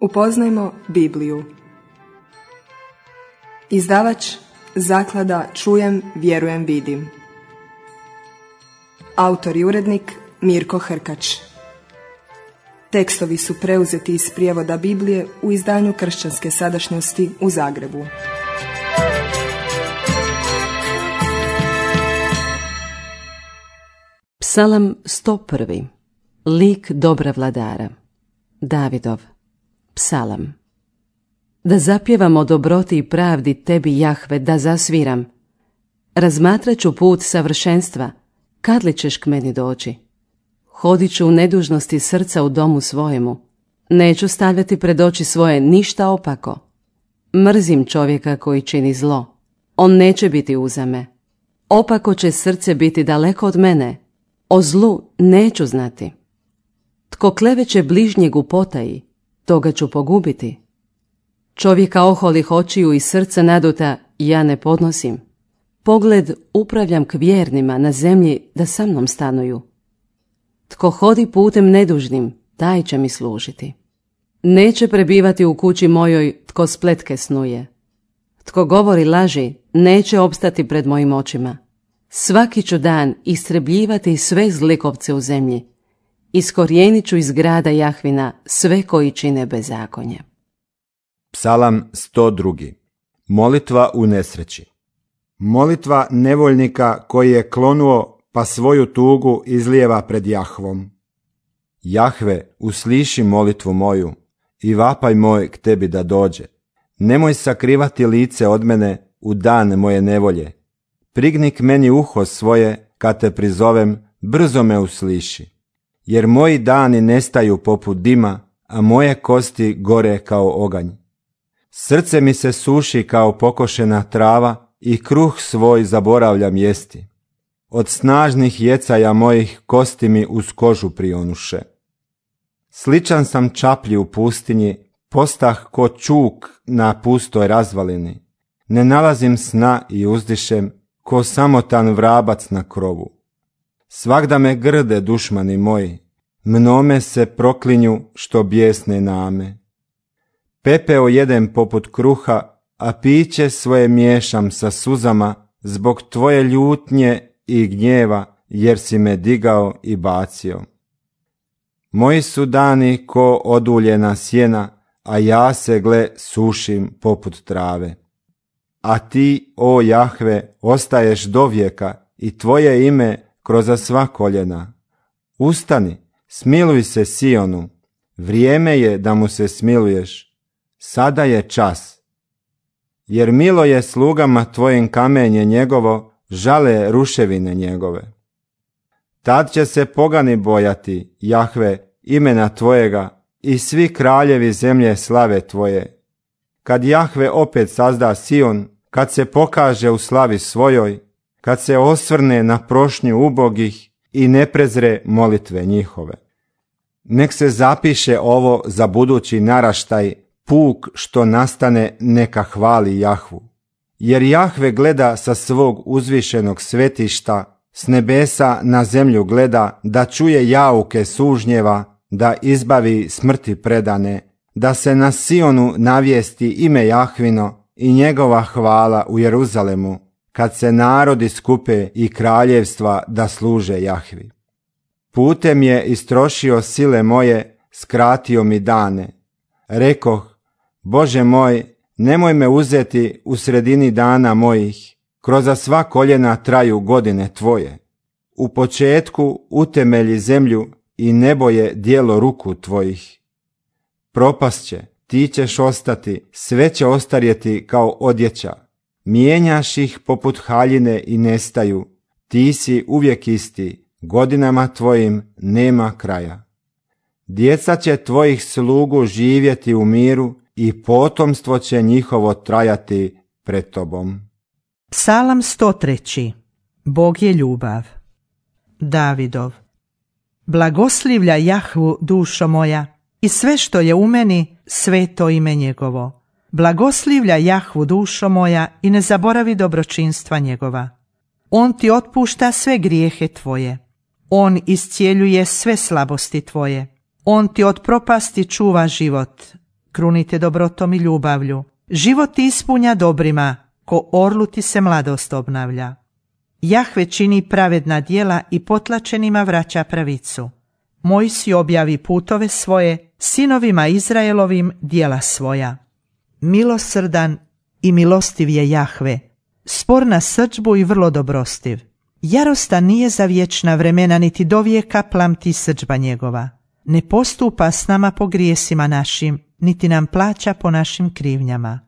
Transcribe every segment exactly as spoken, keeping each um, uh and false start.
Upoznajmo Bibliju. Izdavač Zaklada Čujem, vjerujem, vidim. Autor i urednik Mirko Hrkač. Tekstovi su preuzeti iz prijevoda Biblije u izdanju Kršćanske sadašnjosti u Zagrebu. Psalam sto prvi. Lik dobra vladara. Davidov. Psalam. Da zapjevam o dobroti i pravdi tebi, Jahve, da zasviram. Razmatrat ću put savršenstva, kad li ćeš k meni doći? Hodit ću u nedužnosti srca u domu svojemu. Neću stavljati pred oči svoje ništa opako. Mrzim čovjeka koji čini zlo. On neće biti uza me. Opako će srce biti daleko od mene. O zlu neću znati. Tko kleveće bližnjeg u potaji, toga ću pogubiti. Čovjeka oholih očiju i srca naduta ja ne podnosim. Pogled upravljam k vjernima na zemlji da sa mnom stanuju. Tko hodi putem nedužnim, taj će mi služiti. Neće prebivati u kući mojoj tko spletke snuje. Tko govori laži, neće opstati pred mojim očima. Svaki ću dan istrebljivati sve zlikovce u zemlji. Iskorijenit ću iz grada Jahvina sve koji čine bezakonje. Psalam sto drugi. Molitva u nesreći. Molitva nevoljnika koji je klonuo pa svoju tugu izlijeva pred Jahvom. Jahve, usliši molitvu moju i vapaj moj k tebi da dođe. Nemoj sakrivati lice od mene u dan moje nevolje. Prigni k meni uho svoje, kad te prizovem, brzo me usliši. Jer moji dani nestaju poput dima, a moje kosti gore kao oganj. Srce mi se suši kao pokošena trava i kruh svoj zaboravljam jesti. Od snažnih jecaja mojih kosti mi uz kožu prionuše. Sličan sam čaplji u pustinji, postah ko čuk na pustoj razvalini. Ne nalazim sna i uzdišem ko samotan vrabac na krovu. Svagda me grde dušmani moji, mnome se proklinju što bijesne name. Pepeo jedem poput kruha, a piće svoje miješam sa suzama zbog tvoje ljutnje i gnjeva, jer si me digao i bacio. Moji su dani ko oduljena sjena, a ja se gle sušim poput trave. A ti, o Jahve, ostaješ dovijeka i tvoje ime kroz sva koljena. Ustani, smiluj se Sionu, vrijeme je da mu se smiluješ, sada je čas. Jer milo je slugama tvojim kamenje njegovo, žale ruševine njegove. Tad će se pogani bojati, Jahve, imena tvojega i svi kraljevi zemlje slave tvoje. Kad Jahve opet sazda Sion, kad se pokaže u slavi svojoj, kad se osvrne na prošnju ubogih i ne prezre molitve njihove. Nek se zapiše ovo za budući naraštaj, puk što nastane neka hvali Jahvu. Jer Jahve gleda sa svog uzvišenog svetišta, s nebesa na zemlju gleda, da čuje jauke sužnjeva, da izbavi smrti predane, da se na Sionu navijesti ime Jahvino i njegova hvala u Jeruzalemu, kad se narodi skupe i kraljevstva da služe Jahvi. Putem je istrošio sile moje, skratio mi dane. Rekoh, Bože moj, nemoj me uzeti u sredini dana mojih, kroz sva koljena traju godine tvoje. U početku utemelji zemlju i nebo je dijelo ruku tvojih. Propast će, ti ćeš ostati, sve će ostarjeti kao odjeća. Mijenjaš ih poput haljine i nestaju, ti si uvijek isti, godinama tvojim nema kraja. Djeca će tvojih slugu živjeti u miru i potomstvo će njihovo trajati pred tobom. Psalam sto treći. Bog je ljubav. Davidov. Blagoslivlja Jahvu, dušo moja, i sve što je u meni, sveto ime njegovo. Blagoslivlja Jahvu, dušo moja, i ne zaboravi dobročinstva njegova. On ti otpušta sve grijehe tvoje. On iscijeljuje sve slabosti tvoje. On ti od propasti čuva život. krunite dobrotom i ljubavlju. Život ti ispunja dobrima, ko orlu ti se mladost obnavlja. Jahve čini pravedna djela i potlačenima vraća pravicu. Mojsiju objavi putove svoje, sinovima Izraelovim djela svoja. Milosrdan i milostiv je Jahve, spor na srdžbu i vrlo dobrostiv. Jarostan nije za vječna vremena, niti do vijeka plamti srdžba njegova. Ne postupa s nama po grijesima našim, niti nam plaća po našim krivnjama.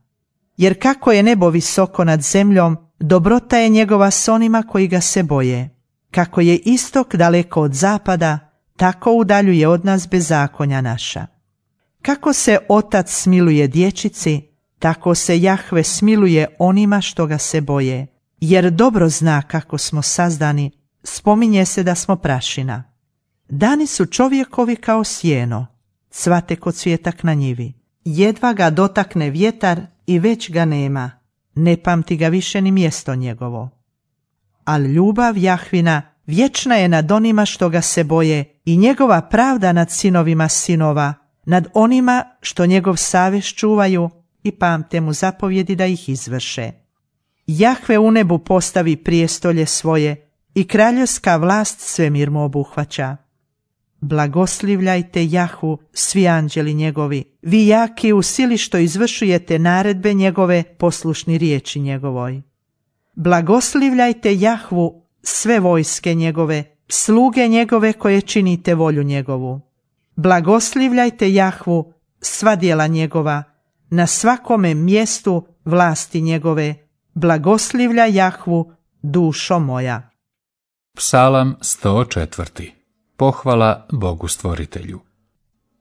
Jer kako je nebo visoko nad zemljom, dobrota je njegova s onima koji ga se boje. Kako je istok daleko od zapada, tako udaljuje od nas bezakonja naša. Kako se otac smiluje dječici, tako se Jahve smiluje onima što ga se boje. Jer dobro zna kako smo sazdani, spominje se da smo prašina. Dani su čovjekovi kao sjeno, cvate ko cvjetak na njivi. Jedva ga dotakne vjetar i već ga nema, ne pamti ga više ni mjesto njegovo. Al ljubav Jahvina vječna je nad onima što ga se boje i njegova pravda nad sinovima sinova, nad onima što njegov savez čuvaju i pamte mu zapovjedi da ih izvrše. Jahve u nebu postavi prijestolje svoje i kraljevska vlast svemir mu obuhvaća. Blagoslivljajte Jahvu, svi anđeli njegovi, vi jaki u sili što izvršujete naredbe njegove, poslušni riječi njegovoj. Blagoslivljajte Jahvu, sve vojske njegove, sluge njegove koje činite volju njegovu. Blagoslivljajte Jahvu, sva djela njegova, na svakome mjestu vlasti njegove, blagoslivlja Jahvu, dušo moja. Psalam sto četiri. Pohvala Bogu stvoritelju.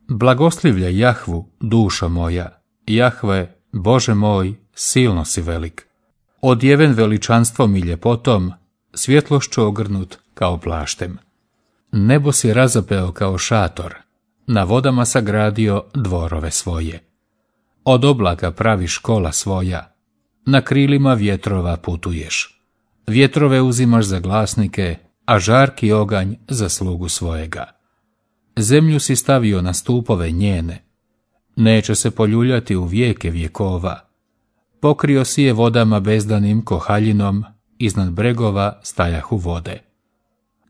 Blagoslivlja Jahvu, dušo moja, Jahve, Bože moj, silno si velik. Odjeven veličanstvom i ljepotom, svjetlošću ogrnut kao plaštem. Nebo si razapeo kao šator, na vodama sagradio dvorove svoje. Od oblaka praviš kola svoja, na krilima vjetrova putuješ. Vjetrove uzimaš za glasnike, a žarki oganj za slugu svojega. Zemlju si stavio na stupove njene, neće se poljuljati u vijeke vjekova. Pokrio si je vodama bezdanim kohaljinom, iznad bregova stajahu vode.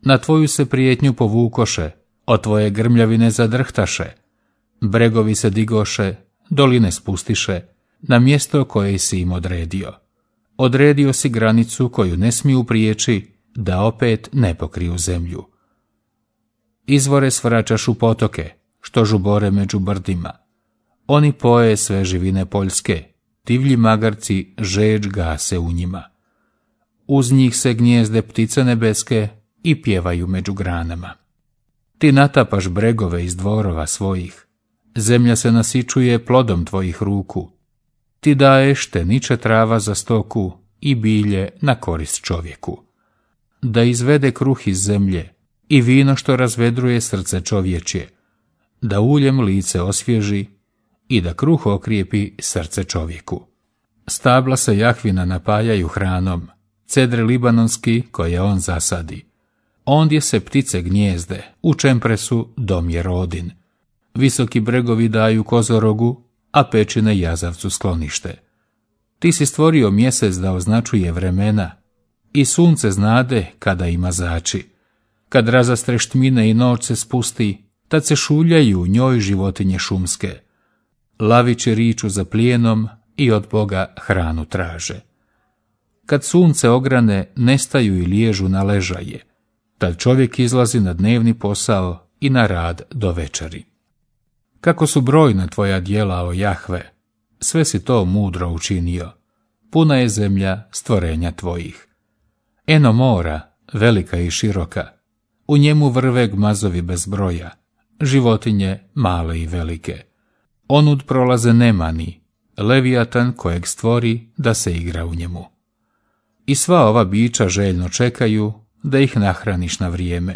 Na tvoju se prijetnju povukoše, od tvoje grmljavine zadrhtaše. Bregovi se digoše, doline spustiše, na mjesto koje si im odredio. Odredio si granicu koju ne smiju prijeći, da opet ne pokriju zemlju. Izvore svraćaš u potoke, što žubore među brdima. Oni poje sve živine poljske, divlji magarci žeđ gase u njima. Uz njih se gnjezde ptice nebeske i pjevaju među granama. Ti natapaš bregove iz dvorova svojih, zemlja se nasičuje plodom tvojih ruku. Ti daješ te niče trava za stoku i bilje na korist čovjeku. Da izvede kruh iz zemlje i vino što razvedruje srce čovječje, da uljem lice osvježi i da kruh okrijepi srce čovjeku. Stabla se Jahvina napajaju hranom, cedre libanonski koje on zasadi. Ondje se ptice gnjezde, u čempresu dom je rodin. Visoki bregovi daju kozorogu, a pećine jazavcu sklonište. Ti si stvorio mjesec da označuje vremena, i sunce znade kada ima zači. Kad razastreš tmine i noć se spusti, tad se šuljaju u njoj životinje šumske. Laviće riču za plijenom i od Boga hranu traže. Kad sunce ograne, nestaju i liježu na ležaje. Tad čovjek izlazi na dnevni posao i na rad do večeri. Kako su brojna tvoja djela, o Jahve, sve si to mudro učinio. Puna je zemlja stvorenja tvojih. Eno mora, velika i široka, u njemu vrve gmazovi bez broja, životinje male i velike. Onud prolaze nemani, Levijatan kojeg stvori da se igra u njemu. I sva ova bića željno čekaju da ih nahraniš na vrijeme.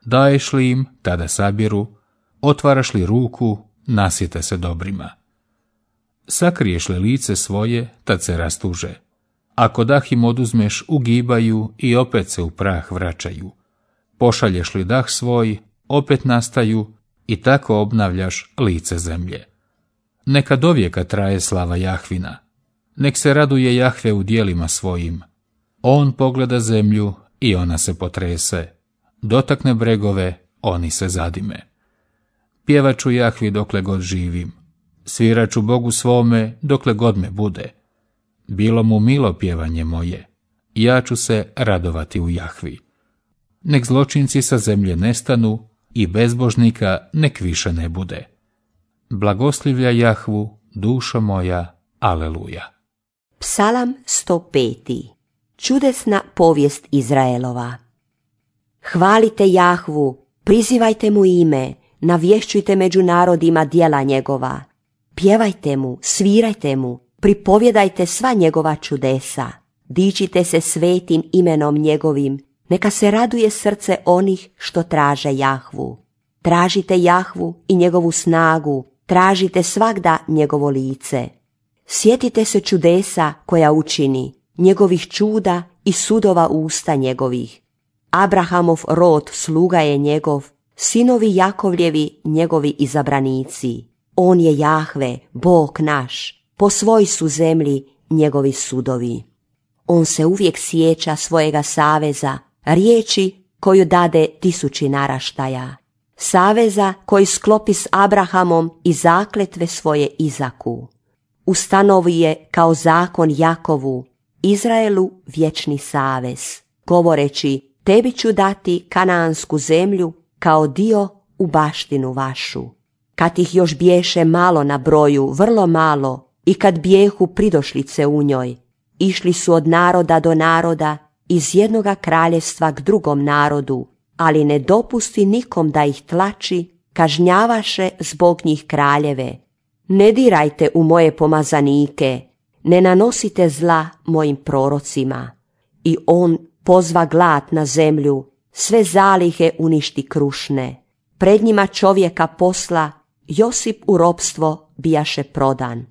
Daješ li im, tada sabiru, otvaraš li ruku, nasjete se dobrima. Sakriješ li lice svoje, tad se rastuže. Ako dah im oduzmeš, ugibaju i opet se u prah vraćaju. Pošalješ li dah svoj, opet nastaju i tako obnavljaš lice zemlje. Neka dovijeka traje slava Jahvina. Nek se raduje Jahve u dijelima svojim. On pogleda zemlju i ona se potrese. Dotakne bregove, oni se zadime. Pjevaću Jahvi dokle god živim. Sviraću Bogu svome dokle god me bude. Bilo mu milo pjevanje moje. Ja ću se radovati u Jahvi. Nek zločinci sa zemlje nestanu i bezbožnika nek više ne bude. Blagoslivlja Jahvu, dušo moja, aleluja. Psalam sto pet. Čudesna povijest Izraelova. Hvalite Jahvu, prizivajte mu ime, navješćujte među narodima djela njegova. Pjevajte mu, svirajte mu, pripovjedajte sva njegova čudesa. Dičite se svetim imenom njegovim, neka se raduje srce onih što traže Jahvu. Tražite Jahvu i njegovu snagu, tražite svagda njegovo lice. Sjetite se čudesa koja učini, njegovih čuda i sudova usta njegovih. Abrahamov rod sluga je njegov, sinovi Jakovljevi njegovi izabranici. On je Jahve, Bog naš, po svoj su zemlji njegovi sudovi. On se uvijek sjeća svojega saveza, riječi koju dade tisući naraštaja. Saveza koji sklopi s Abrahamom i zakletve svoje Izaku. Ustanovi je kao zakon Jakovu, Izraelu vječni savez, govoreći tebi ću dati kanaansku zemlju kao dio u baštinu vašu. Kad ih još biješe malo na broju, vrlo malo, i kad bijehu pridošlice u njoj, išli su od naroda do naroda, iz jednoga kraljevstva k drugom narodu, ali ne dopusti nikom da ih tlači, kažnjavaše zbog njih kraljeve. Ne dirajte u moje pomazanike, ne nanosite zla mojim prorocima. I on pozva glad na zemlju, sve zalihe uništi krušne. Pred njima čovjeka posla, Josip u ropstvo bijaše prodan.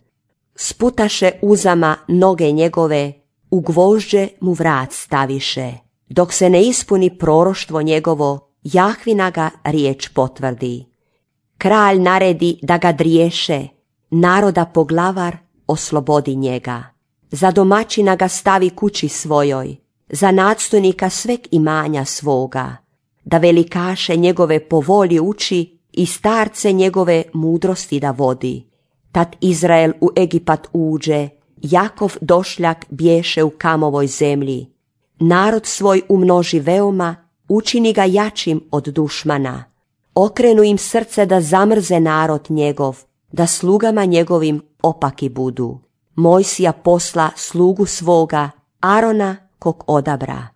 Sputaše uzama noge njegove, u gvožđe mu vrat staviše. Dok se ne ispuni proroštvo njegovo, Jahvina ga riječ potvrdi. Kralj naredi da ga driješe, naroda poglavar oslobodi njega. Za domaćina ga stavi kući svojoj, za nadstojnika sveg imanja svoga, da velikaše njegove po volji uči i starce njegove mudrosti da vodi. Tad Izrael u Egipat uđe, Jakov došljak bješe u kamovoj zemlji. Narod svoj umnoži veoma, učini ga jačim od dušmana. Okrenu im srce da zamrze narod njegov, da slugama njegovim opaki budu. Mojsija posla slugu svoga, Arona kog odabra.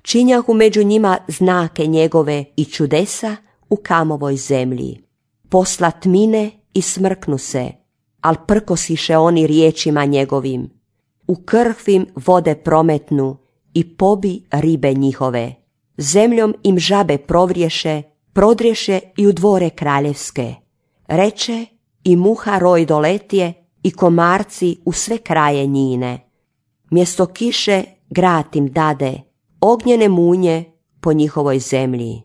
Činjahu među njima znake njegove i čudesa u kamovoj zemlji. Posla tmine i smrknu se, al prkosiše oni riječima njegovim. U krhvim vode prometnu i pobi ribe njihove. Zemljom im žabe provrješe, prodrješe i u dvore kraljevske. Reče i muha roj doletije i komarci u sve kraje njine. Mjesto kiše grad im dade, ognjene munje po njihovoj zemlji.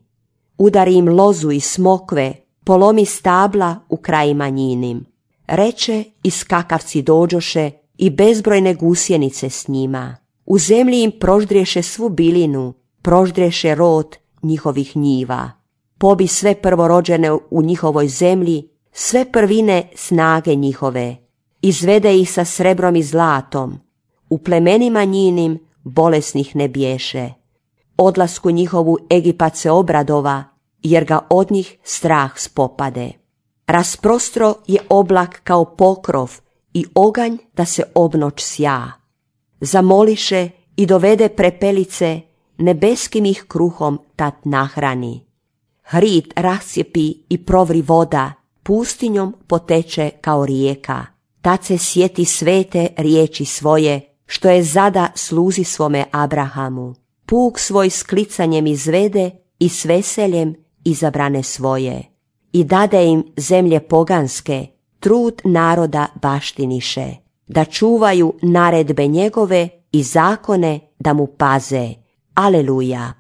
Udari im lozu i smokve, polomi stabla u krajima njinim. Reče i skakavci dođoše i bezbrojne gusjenice s njima. U zemlji im proždriješe svu bilinu, proždriješe rod njihovih njiva. Pobi sve prvorođene u njihovoj zemlji, sve prvine snage njihove. Izvede ih sa srebrom i zlatom. U plemenima njinim bolesnih ne biješe. Odlasku njihovu Egipat se obradova, jer ga od njih strah spopade. Rasprostro je oblak kao pokrov i oganj da se obnoć sja. Zamoliše i dovede prepelice, nebeskim ih kruhom tad nahrani. Hrid rascijepi i provri voda, pustinjom poteče kao rijeka. Tad se sjeti svete riječi svoje, što je zada sluzi svome Abrahamu. Puk svoj sklicanjem izvede i s veseljem izabrane svoje. I dade im zemlje poganske, trud naroda baštiniše, da čuvaju naredbe njegove i zakone da mu paze. Aleluja!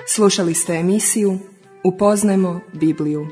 Slušali ste emisiju Upoznajmo Bibliju.